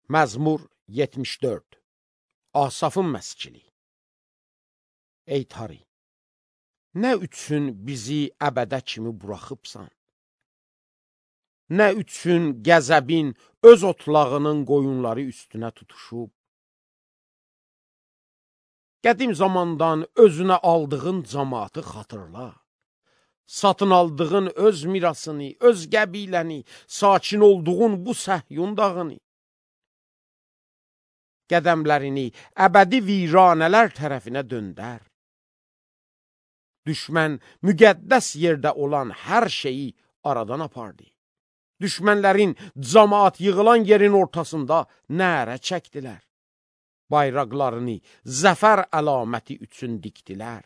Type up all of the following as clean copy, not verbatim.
Məzmur 74. Asafın məskili. Ey Tari, nə üçün bizi əbədə kimi buraxıbsan? Nə üçün qəzəbin öz otlağının qoyunları üstünə tutuşub? Qədim zamandan özünə aldığın cəmaatı xatırla. Satın aldığın öz mirasını, öz qəbiləni, sakin olduğun bu Səhyun dağını. Qədəmlərini əbədi viranələr tərəfinə döndər. Düşmən müqəddəs yerdə olan hər şeyi aradan apardı. Düşmənlərin cəmaat yığılan yerin ortasında nərə çəkdilər. Bayraqlarını zəfər əlaməti üçün dikdilər.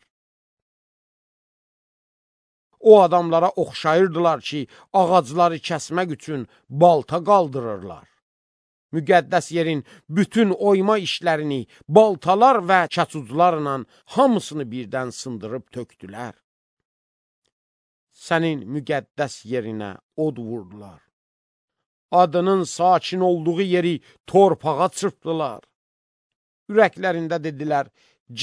O adamlara oxşayırdılar ki, ağacları kəsmək üçün balta qaldırırlar. Müqəddəs yerin bütün oyma işlərini baltalar və kətuclarla hamısını birdən sındırıb tökdülər. Sənin müqəddəs yerinə od vurdular. Adının sakin olduğu yeri torpağa çırpdılar. Ürəklərində dedilər,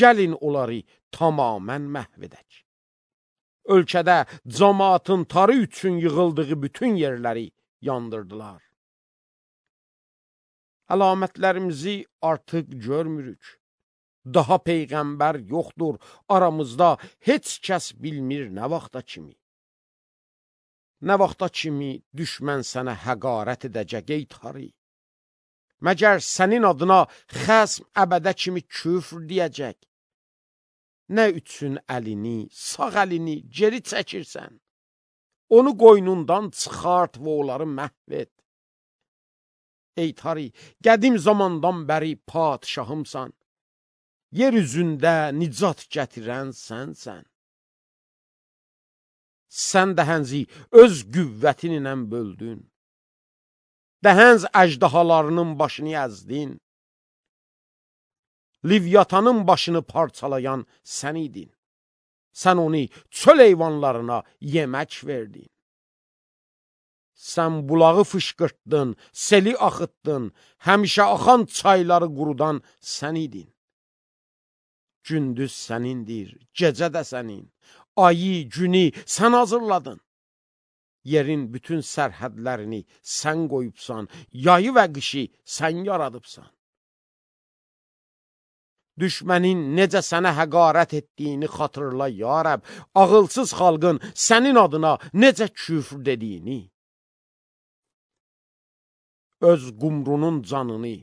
gəlin onları tamamən məhv edək. Ölkədə cəmaatın tarı üçün yığıldığı bütün yerləri yandırdılar. Əlamətlərimizi artıq görmürük. Daha peyğəmbər yoxdur, aramızda heç kəs bilmir nə vaxta kimi. Nə vaxta kimi düşmən sənə həqarət edəcək ey Tari? Məgər sənin adına xəsm əbədə kimi küfr deyəcək? Nə üçün əlini, sağ əlini geri çəkirsən? Onu qoynundan çıxart və onları məhv et. Ey Tari, qədim zamandan bəri padişahımsan. Yer üzündə nicat gətirən sənsən. Sən dəhənzi öz qüvvətinlə böldün. Dəhənz əjdahalarının başını əzdin. Livyatanın başını parçalayan sən idin. Sən onu çöl heyvanlarına yemək verdin. Sən bulağı fışqırtdın, seli axıtdın, həmişə axan çayları qurudan sən idin. Gündüz sənindir, gecə də sənin. Ayı, günü sən hazırladın. Yerin bütün sərhədlərini sən qoyubsan, yayı və qışı sən yaradıbsan. Düşmənin necə sənə həqarət etdiyini xatırla, ya Rəbb, ağılsız xalqın sənin adına necə küfr dediyini. Öz qumrunun canını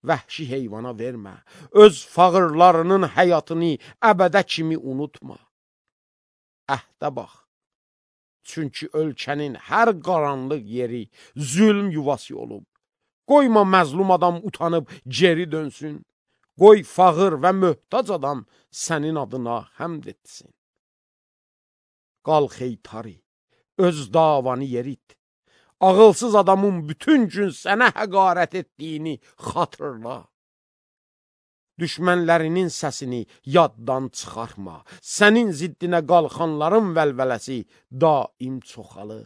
vəhşi heyvana vermə, öz fağırlarının həyatını əbədə kimi unutma. Əhdə bax, çünki ölkənin hər qaranlıq yeri zülm yuvası olub. Qoyma məzlum adam utanıb geri dönsün. Qoy fağır və möhtac adam sənin adına həmd etsin. Qalx ey Tari, öz davanı yerit. Ağılsız adamın bütün gün sənə həqarət etdiyini xatırla. Düşmənlərinin səsini yaddan çıxartma. Sənin ziddinə qalxanların vəlvələsi daim çoxalır.